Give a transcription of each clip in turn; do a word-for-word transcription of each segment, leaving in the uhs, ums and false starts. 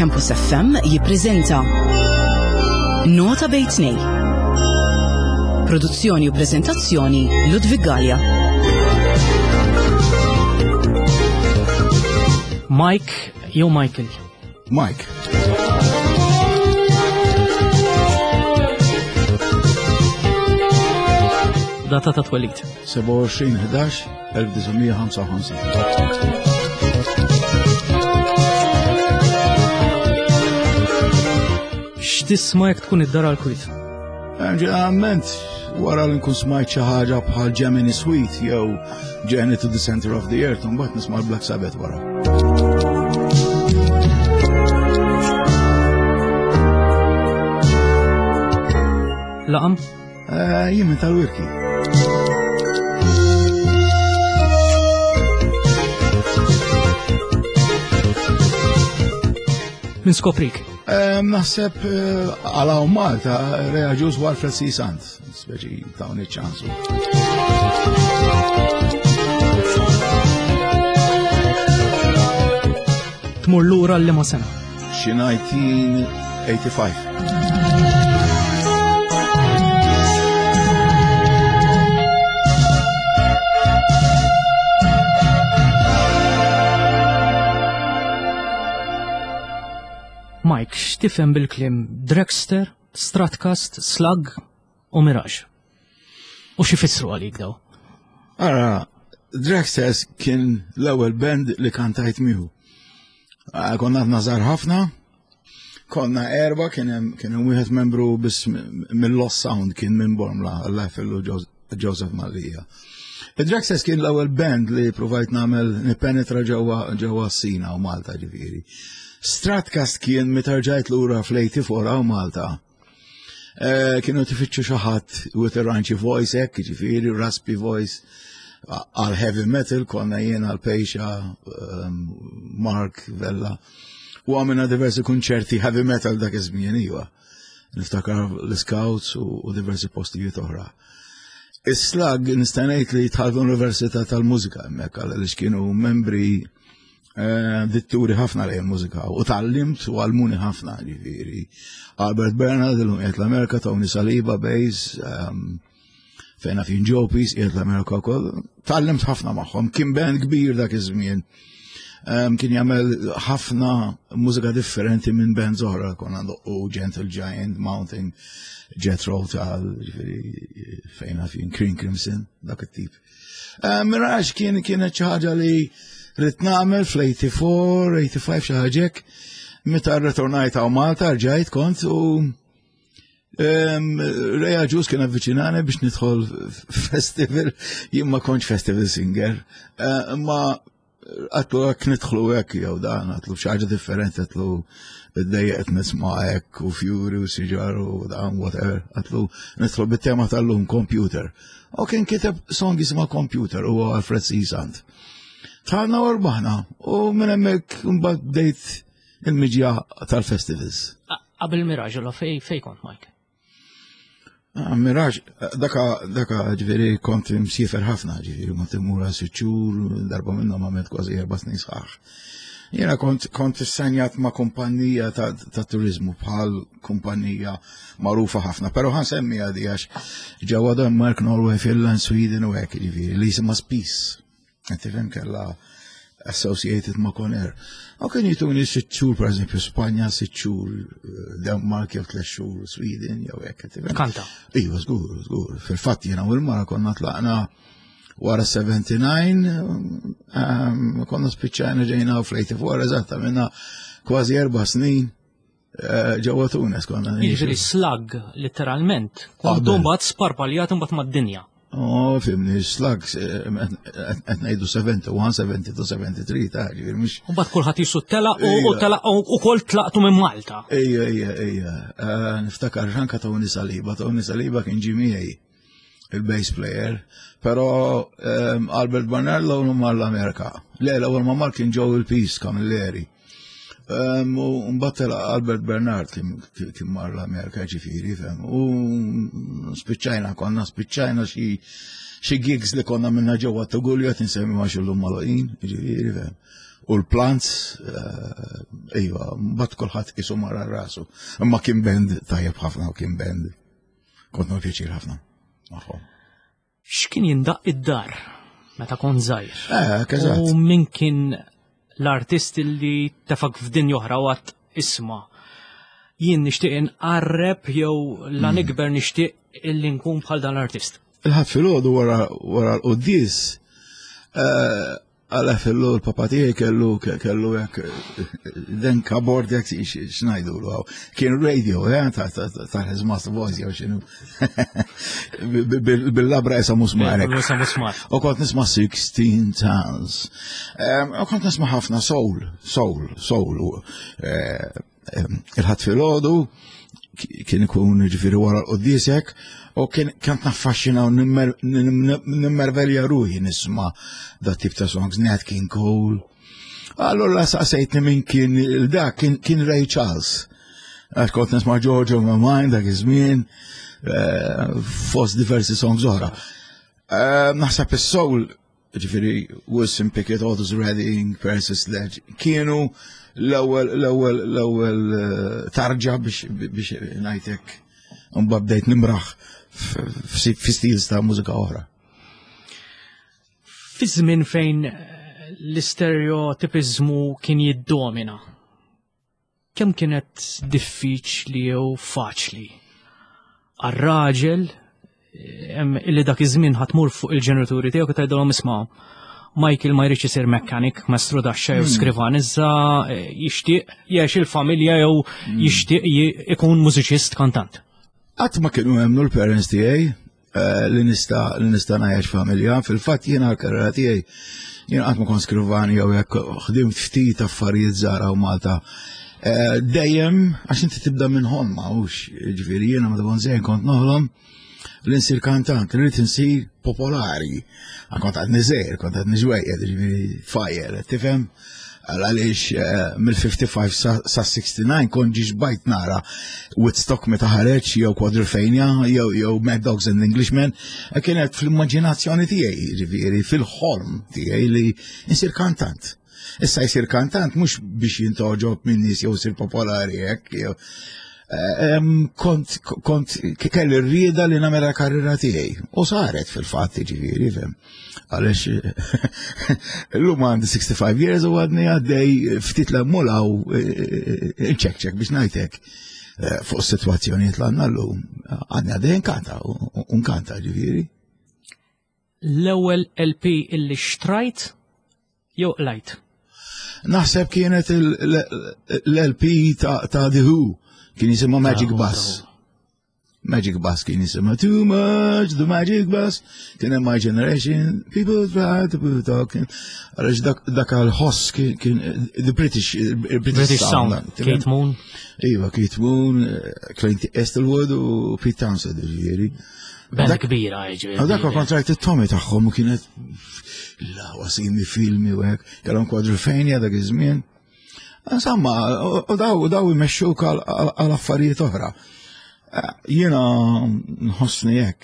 Campus F M jippreżenta Nota Bejn Tnejn. Produzzjoni u prezentazzjoni, Ludwig Gallia. Mike jew Michael? Mike. Data ta' twelid? sebgħa u għoxrin ħdax elf disa' mija ħamsa u ħamsin. X'tisma' jekk tkun id-dar għal kwiet? Ġeneralment, wara li nkun smajt xi ħaġa bħal Gemini Suite jew Journey to the Center of the Earth, mbagħad nisma' l-Black Sabbath wara. Laqam? Eh, Jien minn tal-Wirki. Min skoprik? Eh, Naħseb eh, għala u Malta, Ray Agius u Alfred C. Sant, speċi tawni ċansu. Tmur lura l-liema sena? Xi elf disa' mija tmienja u tmenin. Mike, x'tifhem bil-kliem Dragster, Stratcast, Slug u Mirage? U x'ifissru għalik daw? Ara, Dragsters kien l-ewwel band li kantajt miegħu. Ah, Konna għadna żgħar ħafna, konna erba, kien hemm kien hemm wieħed membru biss mill-Lost Sound, kien minn Bormla, Alla fillu Joseph Mallia. Id-Dragsters kien l-ewwel band li provajt nagħmel nippenetra ġewwa ġewwa Sina u Malta, ġifieri. Stratcast kien meta rġajt lura fl-tmienja u disgħin u Malta. Eh, kienu tifittxu xi ħadd with a raunchy voice hekk, ġifieri, raspy voice, għal heavy metal, konna jien għal Pejxa, um, Mark Vella. U għamilna diversi kunċerti heavy metal dak iż-żmien, iva. Niftakar l-Scouts u, u diversi postijiet oħra. Is-Slug nista' ngħid li dħalt l-Università tal-Mużika hemmhekk, għaliex kienu membri eh, ditturi ħafna lejn mużika u tgħallimt u għallmuni ħafna, ġifieri. Albert Bernard, illum qiegħed l-Amerika, Tony Saliba, bass, um, fejna fin Joe Peace, qiegħed l-Amerika wkoll. Tgħallimt ħafna magħhom, kien band kbir dak iż-żmien. Um, kien jagħmel ħafna mużika differenti minn bands oħra, konna u Gentle Giant, Mountain, Jethro Tull, ġifieri fejna fin King Crimson, dak it-tip. Um, Mirage kien kienet xi ħaġa li ridt nagħmel fl-tmienja u tmenin, tmienja u disgħin, xi ħaġa hekk. Meta rritornajt hawn Malta, rġajt kont u Um, Ray Agius kien avviċinani biex nidħol festival, jien ma kontx festival singer, uh, imma għedtlu hekk nidħlu hekk jew dan, għedtlu xi ħaġa differenti, għedtlu id-dejjaqt nisma' hekk u fjuri u siġar u dan, whatever, għedtlu nidħlu bit-tema tal-lum, computer. U kien kiteb song jisimha Computer u Alfred C. Sant. Dħalna u rbaħna u minn hemmhekk mbagħad bdejt il-miġja tal-festivals. Qabel Mirage, la fej fej kont, Mike? Ah, Mirage, daka, daka ġifieri kont msiefer ħafna, ġifieri kont immur sitt xhur, darba minnhom għamilt kważi erba' snin sħaħ. Jiena kont kont issenjat ma' kumpanija ta', ta' turizmu, bħal kumpanija magħrufa ħafna, però ħa nsemmi għadi għax ġewwa Denmark, Norway, Finland, Sweden u hekk, ġifieri li jisimha Spice. Qed tifhem, kellha associated ma' Conair. U kien jtuni sitt xhur, per eżempju, Spanja, sitt xhur, eh, Denmark jew tliet xhur, Sweden jew hekk. Qed tifhem? Kanta. Iva, żgur, żgur. Fil-fatt jiena u l-mara konna tlaqna wara sebgħa u sebgħin, um, konna spiċċajna ġejna fl-tmienja u disgħin, eżatt, minna kważi erba' snin eh, ġewwa Tunis konna. Jiġifieri Slug, literalment. Kontu Qabel. mbagħad sparpaljat mbagħad mad-dinja. Oh, fhimni, Slug, qed ngħidu sebgħa u wieħed, sebgħa u tnejn, sebgħa u tlieta, ta' ġifieri mhux. U mbagħad kulħadd jisu tela u Ejja. u tela u ukoll tlaqtu minn Malta. Ejja, ejja, ejja. Eh, Niftakar anka Tony Saliba, Tony Saliba kien ġie miegħi, il-bass player, pero um, Albert Bernard l-ewwel mar l-Amerika. Le, l-ewwel ma mar kien Joel Peace Camilleri. Um, u mbagħad telaq Albert Bernard, kien kien mar l-Amerika, ġifieri, fhem. U spiċċajna, konna spiċċajna xi xi gigs li konna minna ġewwa Tugulja, tinsemmi ma xillum magħluqin, ġifieri, fhem. u l-Plants, eh, iva, mbagħad kulħadd qisu mara rasu. Imma kien band tajjeb ħafna u kien band kont nieħu pjaċir ħafna magħhom. X'kien jindaq id-dar meta kont żgħir? Eh, eżatt. U min kien l-artist li tefgħek f'dinja oħra u għedt isma'? Jien nixtieq inqarreb jew la nikber nixtieq illi nkun bħal dan l-artist. Il-Ħadd filgħodu wara wara l-quddies, eh, għala fillu l-papa tiegħi kellu kellu hekk den cupboard jekk x'ngħidu hawn. Kien radio, eh, ta' ta' his master voice jew x'inhu. Bil-labra isa musmarek. Isa musmar. U kont nisma' sixteen tons. U kont nisma' ħafna soul, soul, soul. Eh, Il-Ħadd filgħodu kien ikun ġifieri wara l-quddies hekk, u kien kont naffaxxina u nimmervelja ruħi nisma' da tip ta' songs, Nat King Cole. Allora saqsejtni min kien dak kien kien Ray Charles. Għax kont nisma' George on my mind dak iż-żmien, eh, fost diversi songs oħra. Eh, Naħseb is-soul, ġifieri Wilson Pickett, Otis Redding, Percy Sledge, kienu l-ewwel l-ewwel l-ewwel eh, tarġa biex biex ngħidlek mbagħad bdejt nimraħ fi stils ta' mużika oħra. Fi żmien fejn l-istereotipizmu kien jiddomina, kemm kienet diffiċli jew faċli għar-raġel illi dak iż-żmien ħa tmur fuq il-ġenituri tiegħek u tgħidilhom isma' Michael ma jridx isir mekkanik, mestru daxxa jew hmm. skrivan, iżda eh, jixtieq jgħix il-familja jew hmm. jixtieq ikun mużiċist kantant. Qatt ma kienu emmnu l-parents tiegħi eh, li nista' li nista' ngħix familja. Fil-fatt jiena l-karriera tiegħi jiena qatt ma kont skrivan jew hekk ħdimt ftit affarijiet żgħar u Malta. Eh, dejjem għax inti tibda minn ħolma, hux ġifieri jiena meta kont żgħir kont noħlom li nsir kantant, li rrid insir popolari. Kont għadni żgħir, kont għadni ġwejjed, ġifieri tfajjel, tifhem? Għaliex eh, mill-ħamsa u ħamsin sa sitta u sittin kont ġiġ bajt nara Woodstock meta ħareġ jew Quadrophenia jew jew Mad Dogs and Englishmen, eh, kienet fl-immaġinazzjoni tiegħi, ġifieri fil-ħolm tiegħi li nsir kantant. Issa jsir kantant mhux biex jintgħoġob minn nies jew sir popolari hekk, jew kont kont kelli r-rieda li nagħmel karriera tiegħi. U saret fil-fatt ġifieri, fem. Għaliex illum għandi sixty-five years u għadni għaddej ftit l-mula u nċekċek biex ngħidlek eh, fuq situazzjonijiet l għandna llum. Għadni għaddej nkanta u nkanta ġifieri. L-ewwel L P illi xtrajt jew qlajt? Naħseb kienet l-L P ta' The Who. Kien jisimha Magic Bus. Magic Bus kien jisimha Too Much, The Magic Bus. Kien hemm My Generation, People Try to Put Talking. Għaliex dak dak għal-ħoss kien kien The British British, British Sound, Keith Moon. Iva, Keith Moon, eh, Clint Eastwood u Pete Townsend, ġifieri. Band kbira, ġifieri. Dak kont rajt it-Tommy tagħhom u kienet la wasimi filmi u hekk. Kellhom Quadrophenia dak iż-żmien. Insomma, u daw daw imexxuk għal affarijiet oħra. Eh, Jiena nħossni hekk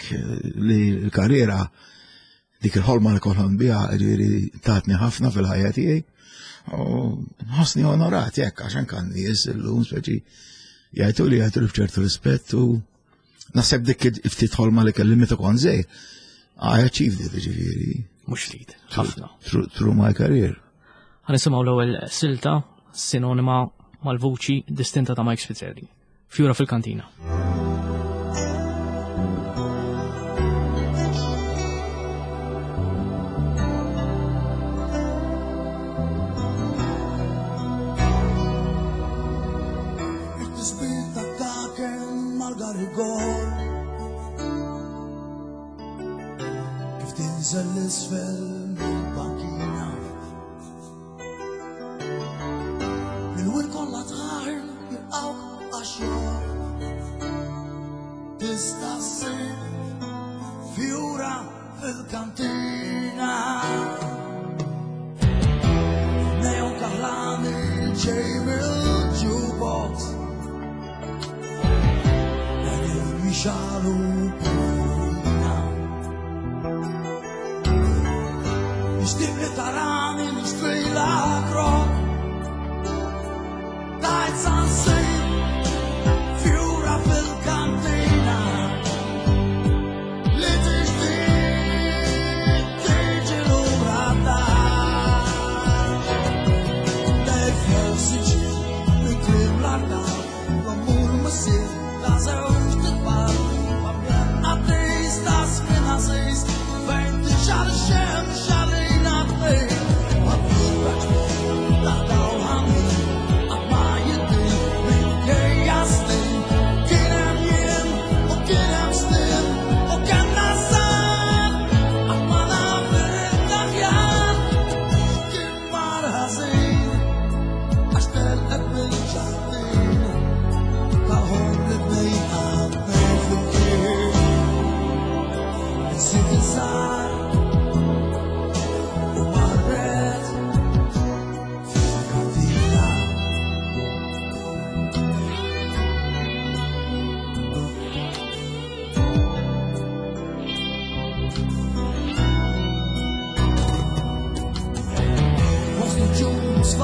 li l-karriera dik il-ħolma li kolħon biha ġifieri tatni ħafna fil-ħajja tiegħi. U nħossni onorat jekk għax anke nies illum speċi jgħidu li jgħidu li b'ċertu rispett u naħseb dik ftit ħolma li kelli meta kont żgħir. I achieved it ġifieri. Mhux ftit, ħafna. Through, through my career. Ħa nisimgħu l-ewwel silta sinonima mal-vuċi distinta ta' Mike Spiteri. Fjura fil-kantina. It-tisbit ta' mal-garigor kif tinżel l-isfel mill-bankina Minn kollha tħar jilqawk għax-xogħol Tista' ssir fjura fil-kantina Neon kaħlani ġej mill-jukebox Qegħdin jixagħlu purina Nixtieq li tarani nixtrila Crocs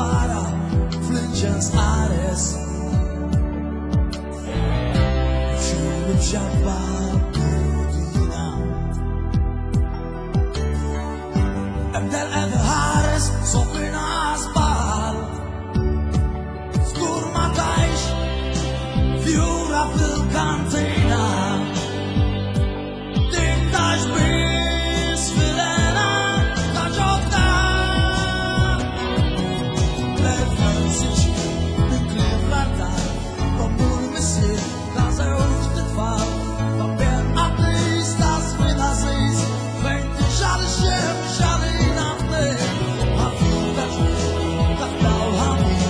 Fara fl-inċens qares. Xulu b'xabba bidina. Ebda l-qed ħares sofrina żball. Żgur ma tajx fjura fil-kantina. Tintax biss fil-ena ta' ġodda. L-elfejn minn kliem l-artal, l-omm u l-missier ta' żewġt itfal. Ta' qaddis ta' żmien għażiż, fejn tixgħal ix-xemx għalina tnejn. Ħafif ta' ġmiel, ta' dawl ħamin,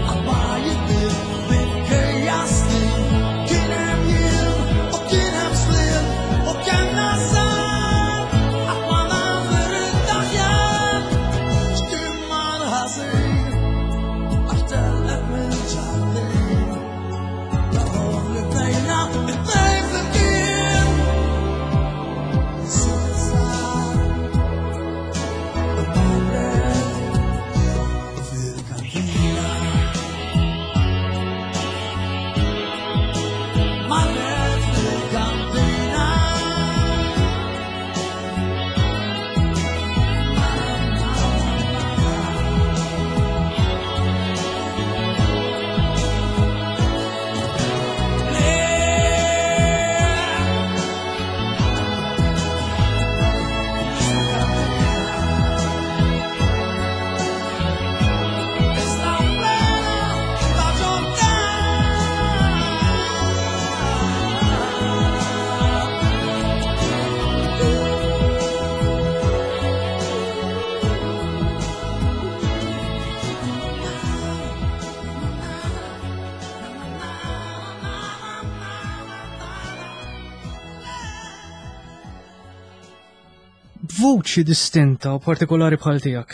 qatt ma jiddiel minkejja snin. Kien hemm jiem u kien hemm sliem u kellna żgħar, qatt ma naf irrid aħjar. X'kien mar ħażin, għax telqet mill-ġardin. L-għomor li bnejna it-tnejn flimkien. S'issa marret fil-kantina. Marret fil-kantina. Sta plena ta' ġodda. Vuċi distinta u partikolari bħal tiegħek.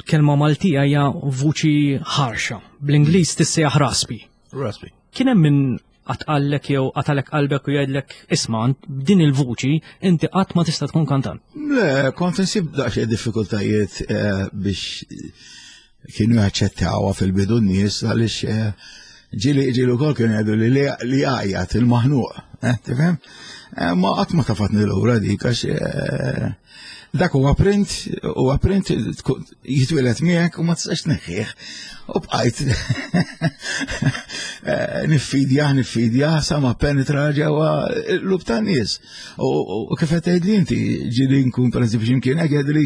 Kelma Maltija hija vuċi ħarxa. Bl-Ingliż tissejjaħ raspy. Raspy. Kien hemm min qallek jew qatalek qalbek u jgħidlek isma' b'din il-vuċi inti qatt ma tista' tkun kantant. Le, kont insib daqsxejn diffikultajiet eh, biex kienu jaċċettawha fil-bidu n-nies għaliex eh, ġieli ġieli wkoll kienu jgħidu li li għajjat il-maħnuq, eh, tifhem? Eh, Ma qatt ma tafatni lura dik għax eh, dak huwa print, huwa print jitwieled miegħek u ma tistax tneħħih. U bqajt eh, niffidja, niffidja, sa ma penetra ġewwa l-qlub tan-nies. U u kif qed tgħidli inti, ġieli nkun pereżempju x'imkien hekk jgħidli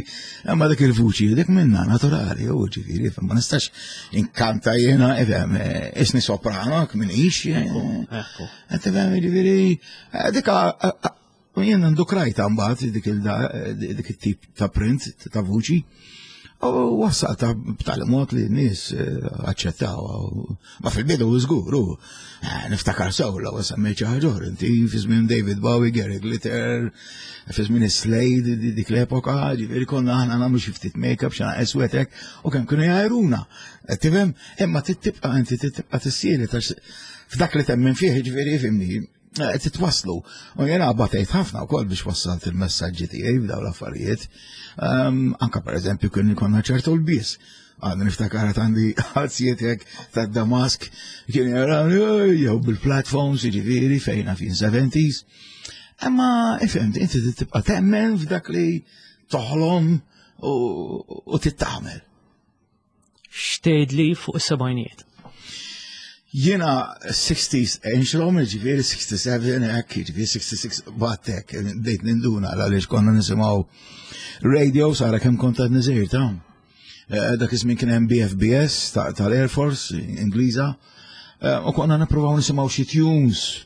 imma dak il-vuċi, dik minna naturali, u ġifieri, ma nistax inkanta jiena, ifhem, isni soprano, m'iniex. Ekku. Tifhem, ġifieri, dik u jien ndukrajta mbagħad dik il dik it-tip ta' print ta' vuċi. U wassalta b'tali mod li n-nies aċċettaw. Ma fil-bidu żgur, u niftakar sew l semmejt xi ħaġa oħra, inti fi żmien David Bowie, Gary Glitter, fi żmien Slade, dik l-epoka, ġifieri konna aħna nagħmlu xi ftit make-up, xi eswetek, u kemm kienu jgħajruna. Tifhem, imma tibqa' inti tibqa' tissieli f'dak li temmen fih, ġifieri fimni, titwaslu. U jena batejt ħafna wkoll biex wassalt il-messaġġi tiegħi b'daw l-affarijiet. Anka per eżempju kien konna ċertu lbies. Għadni niftakar għandi għalzietek ta' Damask, kien jarawni, jew bil-platforms, ġifieri, fejna fin seventies. Imma, ifhem, inti tibqa' temmen f'dak li toħlom u tittamel. X'tgħidli fuq is-sebgħinijiet? Jiena sixties enxrom, ġifieri sixty-seven, hekk, ġifieri sixty-six, battek, bdejt ninduna għaliex konna nisimgħu radio, sara kemm kont għadni żgħir ta' Eh, dak iż-żmien kien hemm B F B S tal-Air Force Ingliża, eh, u konna nippruvaw nisimgħu xi tunes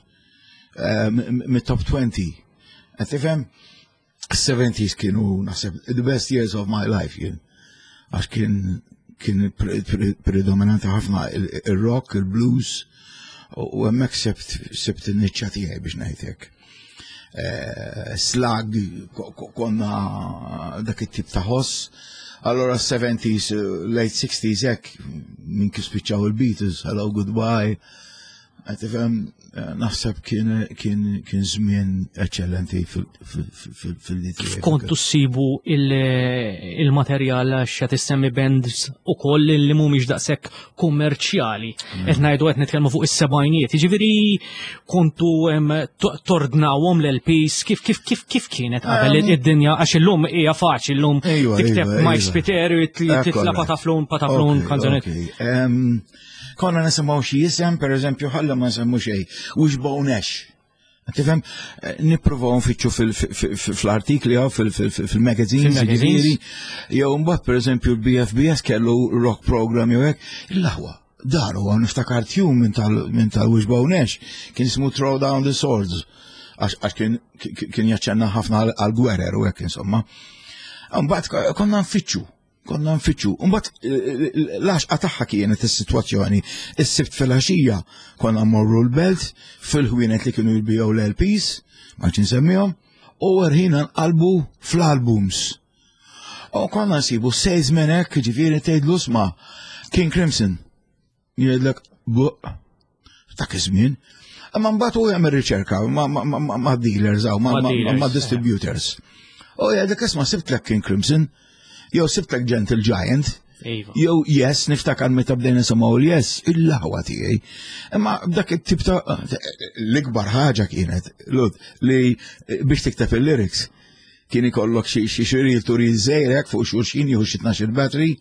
eh, mit-top twenty. Qed tifhem? Seventies kienu naħseb the best years of my life jien. Għax kien kien predominanti ħafna il-rock, il-blues, u hemmhekk sibt sibt in-niċċa tiegħi biex ngħidlek. Slag, konna dak it-tip ta' ħoss. Allora seventies, late sixties hekk, minn kif spiċċaw il-Beatles, Hello Goodbye. Tifhem, naħseb kien kien kien żmien eċċellenti fil-D T A. Kontu ssibu il-materjal, għax qed issemmi bands ukoll li mhumiex daqshekk kummerċjali. Qed ngħidu, qed nitkellmu fuq is-sebgħinijiet. Jiġifieri kontu em, to- tornawhom l-L Ps, kif kif kif kif kienet qabel id-dinja, għax illum hija faċli, illum Ejwa, tikteb ejwa, Mike ejwa. Spiteri, titla' Ekkola. pataflun pataflun Ok, kanzunet. Ok. Em, Konna nisimgħu xi isem, per eżempju, ħalla ma nsemmu xejn, Wishbone Ash. Tifhem, eh, nippruvaw nfittxu fil- fil- fil- fl-artikli jew fil- fil- fil-magazines, Fil-magazines. ġifieri, jew mbagħad, per eżempju, l-B F B S kellu rock program jew hekk, il-laħwa. Daru għan niftakar tune minn tal minn tal-Wishbone Ash, kien ismu Throw Down the Swords, għax għax kien kien jaċċenna ħafna għal-gwerer u hekk, insomma. Mbagħad konna nfittxu, konna nfittxu. Mbagħad l-għaxqa tagħha kienet is-sitwazzjoni. Is-Sibt fil-għaxija konna mmorru l-Belt fil-ħwienet li kienu jbiegħu l-L Ps, ma nsemmihom, u rħina nqalbu fl-albums. U konna nsibu salesman hekk, ġifieri tgħidlu, "Sma', King Crimson." Jgħidlek, "Buq, dak iż-żmien." Imma mbagħad hu jagħmel riċerka ma' ma' ma' ma' dealers aw ma' Ma' ma' dealers, ma' distributors. U jgħidlek, "Isma', sibtlek King Crimson, jew sibtlek Gentle Giant," Iva. jew Yes, niftakar meta bdejna nisimgħu l-Yes, il-laħwa tiegħi. Imma b'dak it-tip ta' l-ikbar ħaġa kienet, Lud, li biex tikteb il-lyrics, kien ikollok xi xi xi reel to reel żejrek fuq xulxin jew xi tnax battery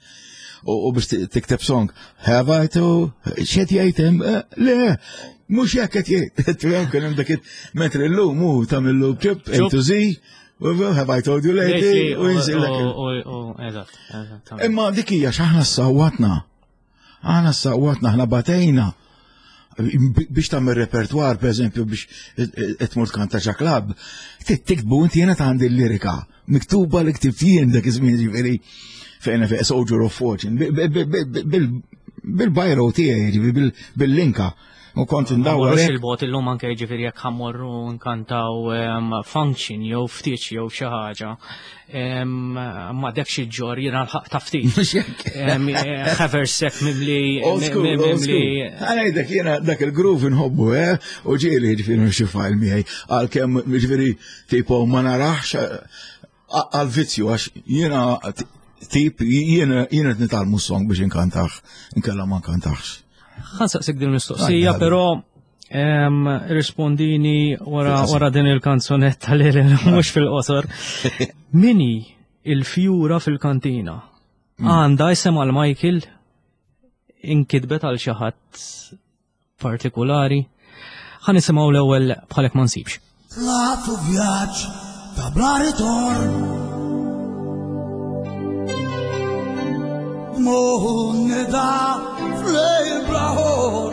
u u biex ti- tikteb song. Have I to, x'qed jgħid hemm? Eh, Le, mhux hekk qed jgħid. Tifhem, kien hemm dak it- mentri llum hu tagħmillu chip A to Z, have I told you lately, u jinżillek il- Eżatt, eżatt. Imma dik hija x'aħna sawwatna. Aħna sawwatna, aħna batejna. Biex tagħmel repertwar, per eżempju, biex tmur tkanta ġo club, tiktbu inti, jiena għandi l-lirika, miktuba li ktibt jien dak iż-żmien, ġifieri fejn fejn Soldier of Fortune, bil-biro tiegħi, ġifieri bil-linka. U kont ndawwar Morrux hekk. il-bogħod illum anke, ġifieri jekk ħa mmorru nkantaw em, function jew ftit jew xi ħaġa. em, Ma dak xi ġor jiena l-ħaq ta' ftit. Mhux hekk. Em, eh, Haversack mimli Old school, old school. mimli Għana dak jena dak il-groove nħobbu, eh? U ġieli ġifieri xi file miegħi, għalkemm ġifieri tipo ma narax għal-vizzju, għax jiena tip jiena jiena nitgħallmu song biex inkantax, inkella ma nkantax. Ħa nsaqsik din mistoqsija, Għajda. però em, rispondini wara Fil-qosor. wara din il-kanzunetta li li mhux fil-qosor. Min hi il-fjura fil-kantina? Għandha isem għal Michael, inkitbet għal xi ħadd partikolari? Ħa nisimgħu l-ewwel "Bħalek ma nsibx". Tlaqt vjaġġ ta' bla ritorn. Moħu nida flejl bla ħor.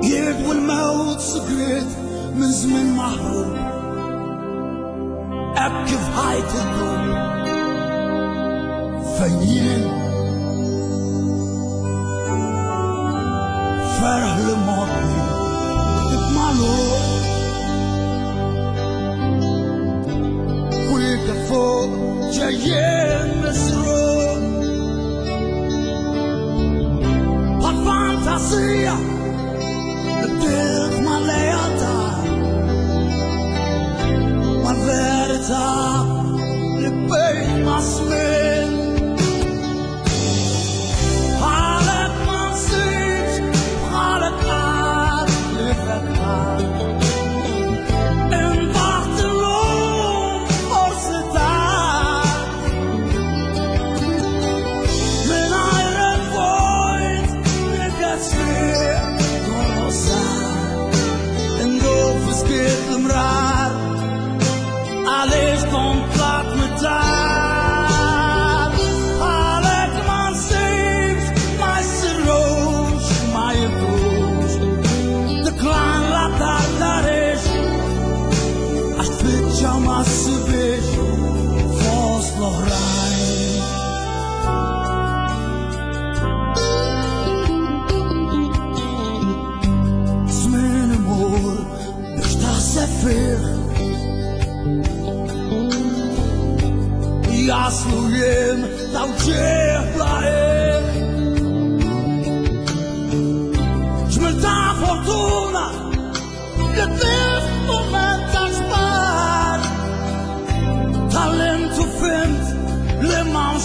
Jidwi l-mewt sigriet minn żmien maħrub. Hekk kif ħajt id-dub. Fejn jien ferħ li mobbi magħluq. Kwieka fuq ġejjin misruq. Bħal fantasija li bdilt mal-lealtà, mal-verità li bejt ma' żmien. Bħalek ma nsibx, bħalek qatt li fetħat. Imbaħt illum forsi tard.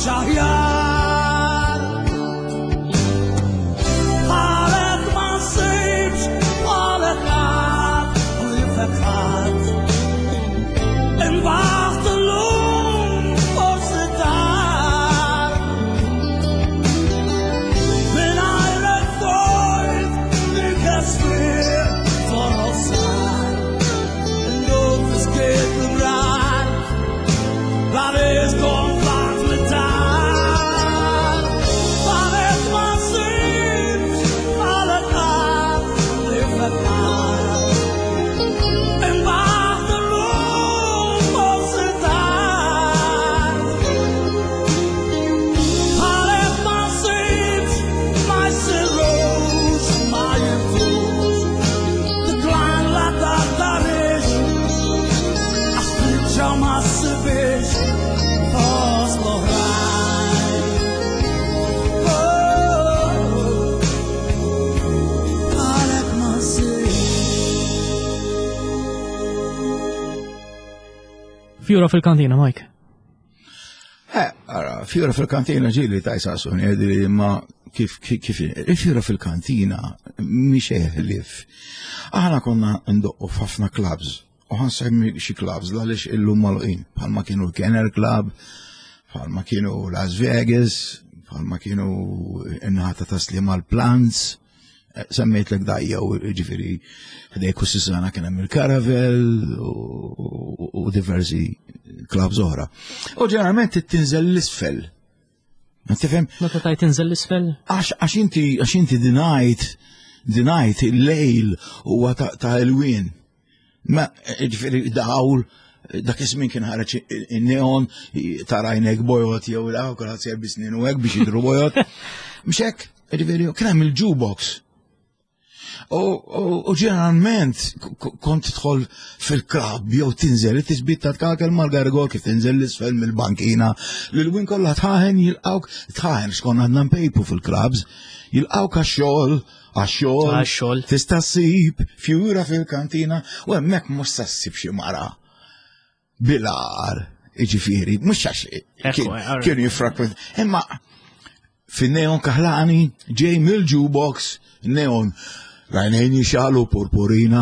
mhux aħjar. Bħalek ma nsibx, bħalek ħadd, ħliefek ħadd. Imbaħt illum forsi tard. Mingħajrek vojt nikesfir toroq Ndub fiskiet l-brar, la nies konflant mit-tar. Bħalek ma nsibx, bħalek ħadd, ħliefek ħadd. Imbaħt illum forsi tard. Bħalek ma nsibx, ma jsirux, ma jibtux. Decline la tartarix, għax spiċċa ma ssibix fost l-oħrajn. Oh, bħalek ma nsibx. Fjura fil-kantina, Mike. Eh, ara, fjura fil-kantina ġili ta' jisaqsuni, jgħidili ma kif, kif, kif, il-fjura fil-kantina mhix ħlief. Aħna konna ndoqqu f'ħafna clubs, u ħansemmi xi clubs għaliex illum magħluqin, bħalma kienu l-Kenner Club, bħalma kienu Las Vegas, bħalma kienu in-naħa ta' Taslima l-Plants, semmejt l dajja u ġifiri ħdej Kussisana kien hemm il-Caravel u, u diversi clubs oħra. U ġeneralment tinżel l-isfel. Ma tifhem? Meta tajt tinżel l-isfel? Għax għax inti għax inti the night the night il-lejl huwa ta' ta' elwien. Ma ġifieri dawl dak iż-żmien kien ħareġ in-neon tara għajnek bojot jew la kulħadd ser snin u hekk biex jidhru bojot. Mhux hekk, ġifieri kien hemm il-jukebox. U, u, u ġeneralment kont tidħol fil-club jew tinżel it-tisbit ta' tkakel mal-gargol kif tinżel l-isfel mill-bankina. L-win kollha tħaħen jilqawk, tħaħen xkonna għadna npejpu fil-clubs, jilqawk għax-xogħol, għax-xogħol. Għax-xogħol. Tista' ssib fjura fil-kantina u hemmhekk mhux sa ssib xi mara. Bilar, iġifieri, mhux għax Ekku, eh, kienu jiffrakwent. Imma fin-neon kaħlani ġej mill-jukebox, neon Għajnejn jixalu purpurina,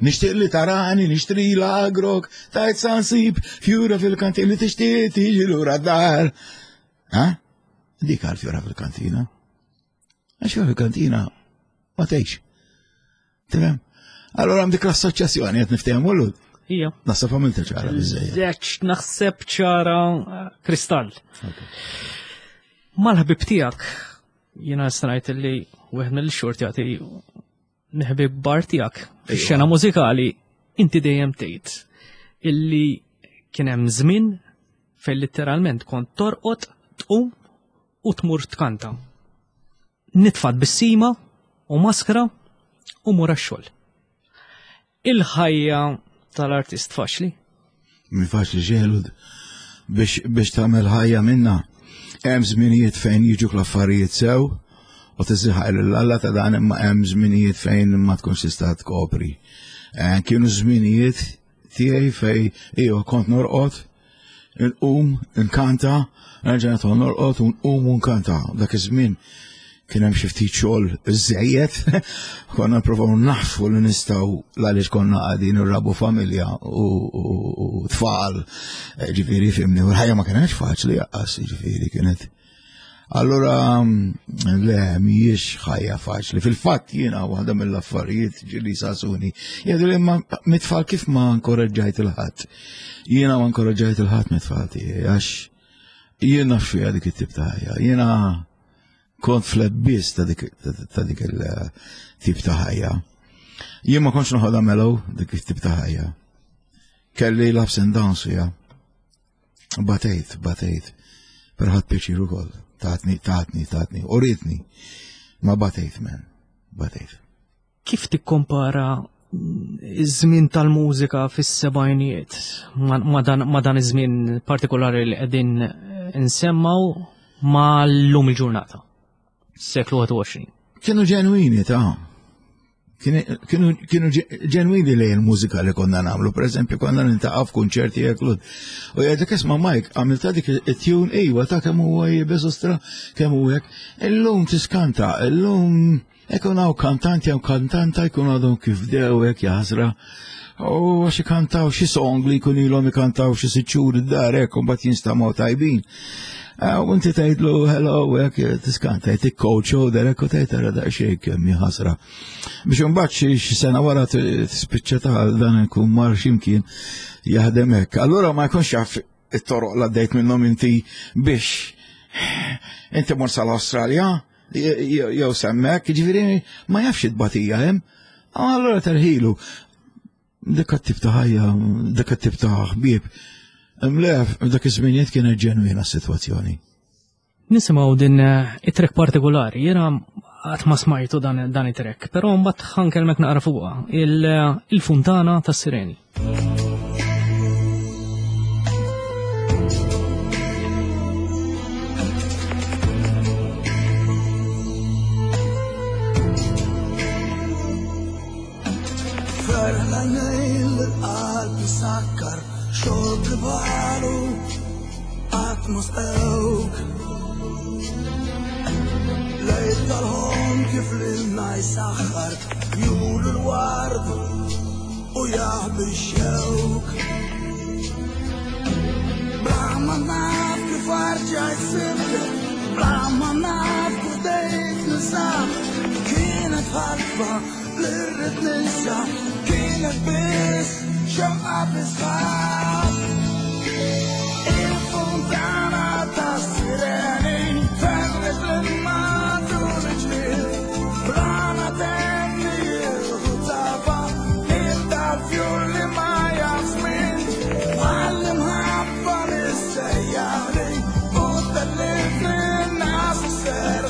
nixtieq li tarani, nixtri l-agrok, tajt sansib, fjura fil-kantina, li tixtieq tiġi lura d-dar. Ha? Dik għal fjura fil-kantina. Għax fjura fil-kantina ma tgħix. Tifhem? Allora għam dik l-assoċjazzjoni qed niftehmu l Ija. Naħseb għamilta ċara biżejjed. Leċ, naħseb ċara eh, kristall. Mal-ħbib tiegħek, jiena ngħid li wieħed mill-xort jagħti mill-ħbieb kbar tiegħek fix-xena mużikali, inti dejjem tgħid illi kien hemm żmien fejn litteralment kont torqod, tqum u tmur tkanta. Nitfa' tbissima u maskra u mur għax-xogħol. Il-ħajja tal-artist faċli? Mi faċli ġelud biex biex tagħmel ħajja minna. Hemm żminijiet fejn jiġuk l-affarijiet sew u tiżiħaq lil Alla ta' dan imma hemm żminijiet fejn ma tkunx tista' tkopri. Eh, Kienu żminijiet tiegħi fej iva kont norqod, nqum, nkanta, nerġa' nidħol norqod u nqum u nkanta. Dak iż-żmien kien hemm xi ftit xogħol żejjed, konna nipprovaw naħfu li nistgħu għaliex konna qegħdin irrabu familja u, u, u tfal, Eh, ġifieri fimni, u l-ħajja ma kienx faċli jaqqas, ġifieri kienet. Allora, mm, le, mhijiex ħajja faċli. Fil-fatt jiena waħda mill-affarijiet ġili sasuni. Jgħidu li ma mit-tfal kif ma nkoraġġajt il-ħadd. Jiena ma nkoraġġajt il-ħadd mit-tfal tiegħi għax jiena fija dik it-tip ta' ħajja. Jiena kont flebbis ta' dik ta' dik il-tip ta' ħajja. Jien ma kontx noħodha mellow dik it-tip ta' ħajja. Kelli l-ups and downs fija. Batejt, batejt. Pero ħadt pjaċir ukoll. Tatni, tatni, tatni. U ritni. Ma batejt, men. Batejt. Kif tikkompara iż-żmien tal-mużika fis-sebgħinijiet ma ma dan ma dan iż-żmien partikolari li qegħdin nsemmaw ma llum il-ġurnata? Seklu wieħed u għoxrin. Kienu ġenwini ta' Kienu ġenwini lejn il-mużika li konna nagħmlu, per eżempju konna niltaqgħu f'kunċerti hekk. U jgħidlek isma' Mike, għamilta dik it-tune iwa ta' kemm huwa iebes ostra, kemm hu hekk. Illum tiskanta, illum ikun hawn kantanti jew kantanta jkun għadhom kif bdew hekk jaħsra. U għax ikantaw xi song li jkun ilhom ikantaw xi sitt xhur id-dar hekk u mbagħad jinstamgħu tajbin. U inti tgħidlu hello hekk tiskanta jtik coach shoulder hekk u tgħid ara daqsxejn kemm hi ħasra. Biex imbagħad xi sena wara tispiċċa ta' dan ikun mar x'imkien jaħdem hekk. Allura ma jkunx jaf it-toroq li għaddejt minnhom inti biex inti mort sal-Awstralja jew semmek, jiġifieri ma jafx it-tbatija hemm. Allura terħilu. Dik it-tip ta' ħajja, dik it-tip ta' ħbieb. Mlef, dak iż-żminijiet kienet ġenwina s-sitwazzjoni. Nisimgħu din it-track partikolari, jiena qatt ma smajtu dan, dan it-track, però mbagħad ħankelmek naqra fuqha, il-Funtana tas-Sireni. Sakkar xorb li balu qatt ma sqewk. Lejl tal-ħon kif lilna jsaħħar jur l-ward u jaħbi x-xewk. Bla ma naf kif arġajt sibtek, bla ma naf kif dejt ninsab. Kienet ħalfa li rrid ninsa, kienet biss xewqa bisħab. Il-funtana tas-sireni ferret l-matul il-ġlied, brana tenni il-ħutafa, il-dal-fjur li ma jafx min, għall-imħabba li u tellifni n-nas ser.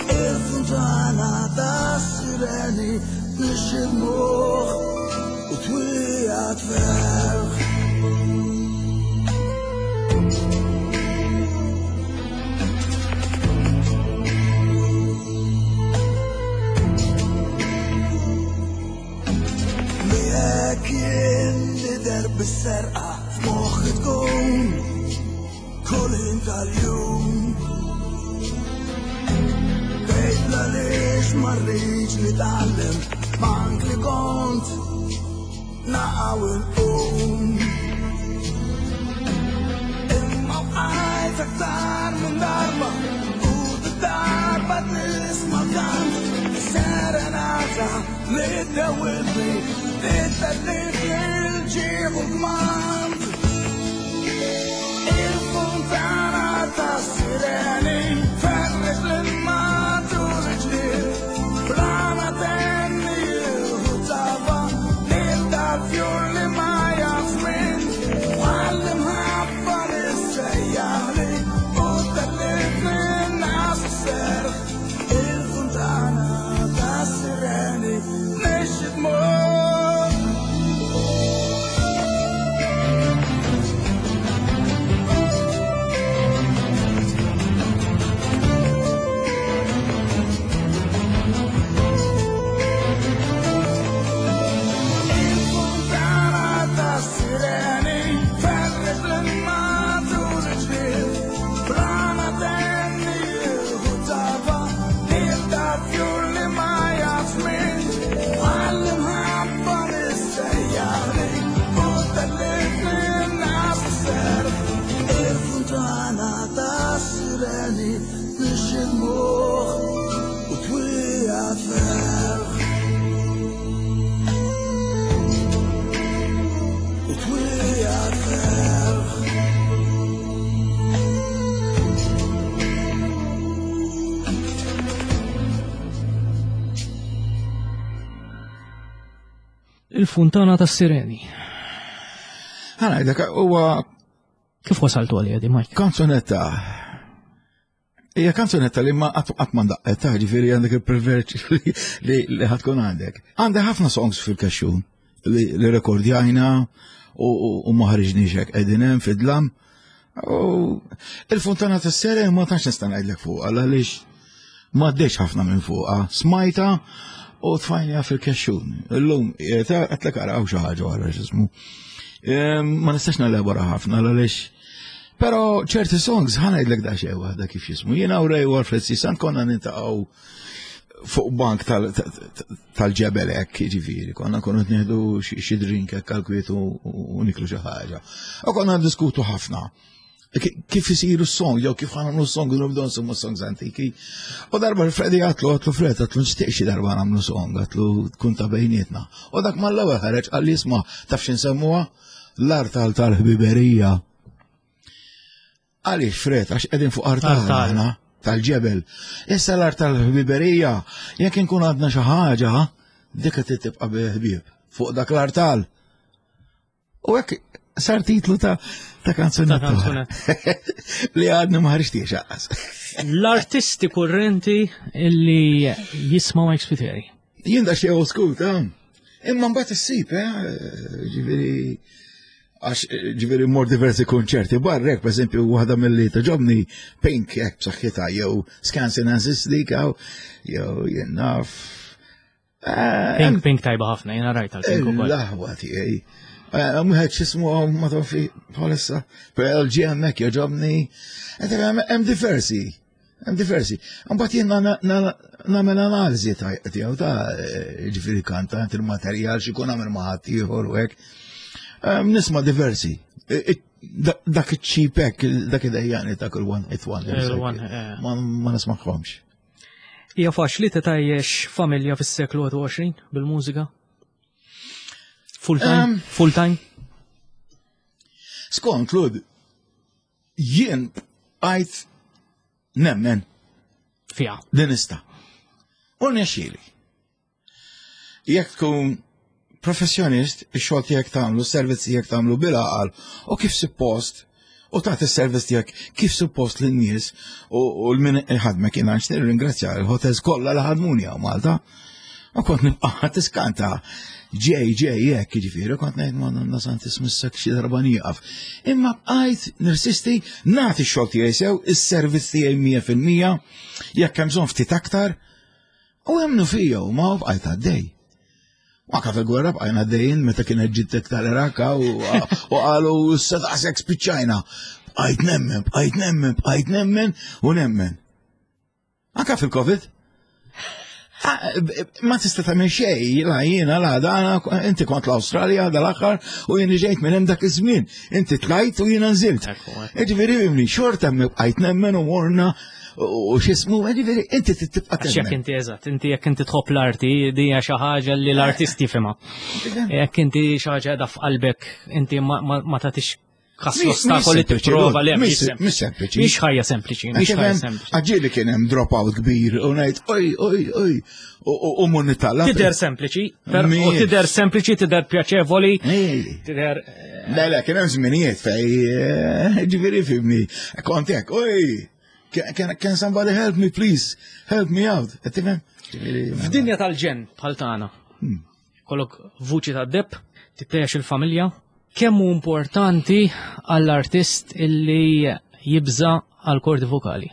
Il-funtana tas-sireni nixxi l-moħħ u twijat ferħ. Miegħek jien nidher bis-serqa f'moħħi tkun kull ħin tal-jum. Tgħid għaliex ma rridx nitgħallem mank li kont naqgħu nqum. Imma bqajt aktar minn darba u darba tisma' kant serenata li ddewwibni titellifni l-ġieħ u l-kmand. Il-funtana tas-sireni ferret l-matul il-ġlied, brana tenni il-ħutafa, lil-dal-fjur li ma jafx min, għall-imħabba li ssejjaħli u tellifni n-nas s-serħ. Il-funtana tas-sireni nixxi dmur. Il-Funtana tas-Sireni. Ħana, dak huwa Kif wasaltu għalija di, Mike? Kanzunetta. Hija kanzunetta li ma qatt ma ndaqqet, ta' ġifieri għandek il-privileġġ li li ħatkun għandek. Għandek ħafna songs fil-kaxxun li, li rekordjajna u, u, u ma ħariġniex hekk qegħdin hemm fid-dlam. U il-Funtana tas-Sireni ma tantx nista' ngħidlek fuqha għaliex ma għaddejx ħafna minn fuqha. Smajta U tfajna fil-kexxun. Illum, għedtlek araw xi ħaġa wara x'ismu. Ma nistax nelabora ħafna għaliex. Pero ċerti songs ħa ngħidlek da xejn waħda kif jismu. Jiena u Ray u Alfred C. Sant konna niltaqgħu fuq bank tal-ġebel hekk, ġifieri, konna konna nieħdu xi drink hekk għal u niklu xi ħaġa. U konna diskutu ħafna. Kif isiru s-song, jew kif ħa nagħmlu s-song, nibdew nsemmu songs antiki. U darba Freddy għedtlu, għedtlu Fred, għedtlu nixtieq xi darba nagħmlu song, għedtlu tkun ta' bejnietna. U dak mal-ewwel ħareġ qalli isma' taf x'insemmuha? L-artal tal-ħbiberija. Għaliex Fred, għax qegħdin fuq artal aħna tal-ġebel. Issa l-art tal-ħbiberija, jekk inkun għadna xi ħaġa, dik qed tibqa' ħbieb fuq dak l-artal. U hekk sar titlu ta' ta' kanzunetta. Li għadni ma ħarġtiex aqqas. L-artisti kurrenti illi jismaw Mike Spiteri. Jien da xi old school ta' imma mbagħad issib, eh, ġifieri għax ġifieri mor diversi konċerti barrek, per esempio, waħda mill-li togħġobni Pink hekk b'saħħitha jew Skansen and Dik jew jien naf. Pink Pink tajba ħafna, jiena rajt għal-Pink ukoll. L-aħwa tiegħi. Wieħed x'ismu ma fi bħalissa, Pearl Jam hekk jogħġobni. Hemm diversi. Hemm diversi. Mbagħad jien nagħmel analiżi tiegħu ta' ġifieri kantant il-materjal x'ikun għamel ma' ħadd ieħor u hekk. Nisma' diversi. Dak iċ-cheap dak id-dejjani ta' kull one hit wonder. Ma nismaħħomx. Hija faċli tgħajjex familja fis-seklu wieħed u għoxrin bil-mużika? Full time? Full time? Skont, Lud, jien għajt nemmen. Fija. Din nista'. U nexxieli. Jekk tkun professjonist, ix-xogħol tiegħek tagħmlu, s-servizz tiegħek tagħmlu bil-għaqal u kif suppost, u tagħti s-servizz tiegħek kif suppost lin-nies u l-min ħadmek. Jiena nixtieq ringrazzja l-hotels kollha li ħadmuni hawn Malta. U kont nibqa' tiskanta ġej ġej jekk jiġifieri kont ngħid ma nasanti smissek xi darba nieqaf. Imma bqajt nirsisti nagħti x-xogħol tiegħi sew, is-servizz tiegħi mija fil-mija, jekk hemm bżonn ftit aktar, u emmnu fija u ma bqajt għaddej. Anka fil-gwerra bqajna għaddejjin meta kienet ġittek tal-Iraq u qalu issa daqshekk spiċċajna. Bqajt nemmen, bqajt nemmen, bqajt nemmen u nemmen. Anka fil-Covid. Ma tista' tagħmel xejn, la jiena la dana, inti kont l-Awstralja dal-aħħar u jien ġejt minn hemm dak iż-żmien. Inti tlajt u jiena nżilt. Ġifieri fhimni, xorta bqajt nemmen u morna u x'ismu, ġifieri inti tibqa' Għax jekk inti eżatt, inti jekk inti tħobb l-arti, di hija xi ħaġa li l-artist jifhimha. Jekk inti xi ħaġa qiegħda f'qalbek, inti ma tagħtix kas l-ostakoli tipprova le. Mhix sempliċi. Mhix ħajja sempliċi, mhix ħajja sempliċi. Għax ġieli kien hemm drop-out kbir u ngħid oj oj oj u mun nitalla. Tidher sempliċi, u tidher sempliċi, tidher pjaċevoli, tidher. Le, le, kien hemm żminijiet fej, ġifieri fhimni, kont hekk, oj, can, can somebody help me please, help me out? Tifhem? F'dinja tal-ġenn bħal tagħna. Kollok vuċi ta' deb, titgħajjex il-familja, kemm hu importanti għall-artist illi jibża għal-kordi vokali?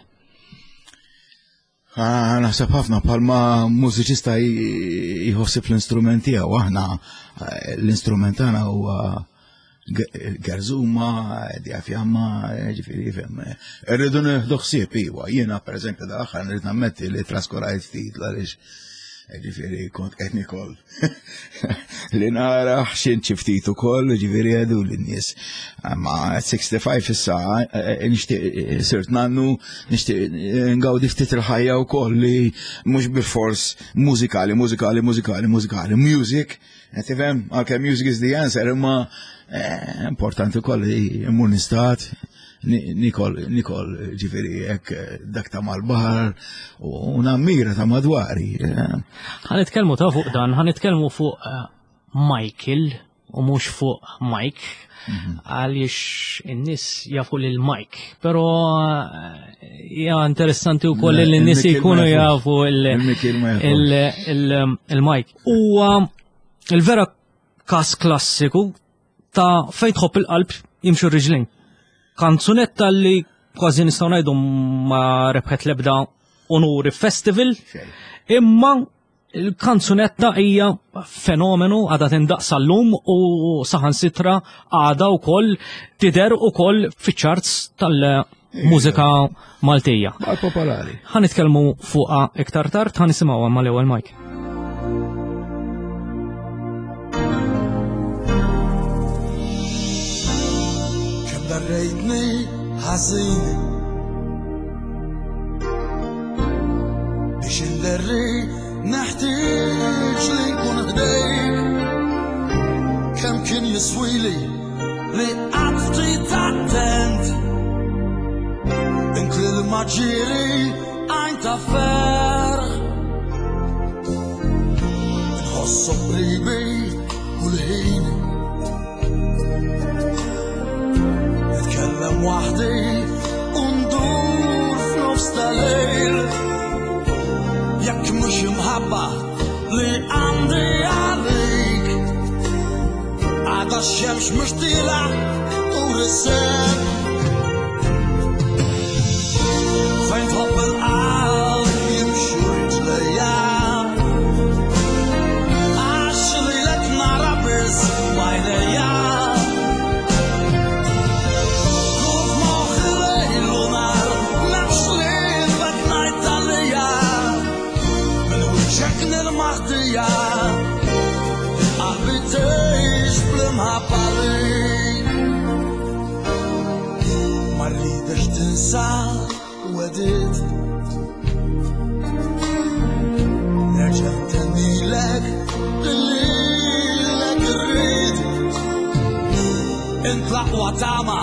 Ah, naħseb ħafna bħalma mużiċista jħossib l-instrument tiegħu, aħna eh, l-instrument tagħna huwa gerzuma, diafjamma, ġifieri fhem. Irridu nieħdu ħsieb iwa. Jiena pereżempju dal-aħħar nrid nammetti li traskurajt ftit għaliex ġifieri kont qed nikol. Li nara x'int xi ftit ukoll, ġifieri għedu lin-nies. Ma sitta u sittin issa nixtieq sirt nannu, nixtieq ngawdi ftit il-ħajja wkoll li mhux bil-fors mużikali, mużikali, mużikali, mużikali, music. Tifhem, għalkemm music is the answer, imma importanti wkoll li mmur nistat, nikol, nikol ġifieri hekk dak ta' mal-baħar u nammira ta' madwari. Ħa nitkellmu ta' fuq dan, ħa nitkellmu fuq Michael u mhux fuq Mike, għaliex in-nies jafu lil Mike, però hija interessanti wkoll li n-nies jkunu jafu il-Mike. Huwa il-vera kas klassiku ta' fejn tħobb il-qalb jimxu r-riġlejn. Kanzunetta li kważi nistgħu ngħidu ma rebħet l-ebda onuri festival, imma Il-kanzunetta hija fenomenu, għadha tindaqq sal-lum u saħansitra għadha wkoll tidher ukoll fiċ-charts tal-mużika Maltija. Baqgħet popolari. Ħa nitkellmu fuqha iktar tard, ħa nisimgħuha mal-ewwel, Mike. Kemm darrejtni ħażin biex inderri, neħtieġ li nkun ħdejk. Kemm kien jiswili li qatt ftit attent. Int lil maġiri għajn ta' ferħ. Nħossu qribi kull ħin. Nitkellem waħdi u ndur f'nofs tal-lejl. Jekk mhux imħabba li għandi għalik, għada x-xemx mhux tila u riseb. Fejn tħobb il-qalb jimxu riġlejja, għax lilek nara biss b'għajnejja. Kuf moħħi lejl u nhar, m'hemmx ħliefek ngħid għalija. Minn wiċċek nilmaħtija, qalbi tgħix bl-imħabba għalik. Ma rridx tinsa wedit. Nerġa' ntennilek lilek irrid. Int l-aqwa tama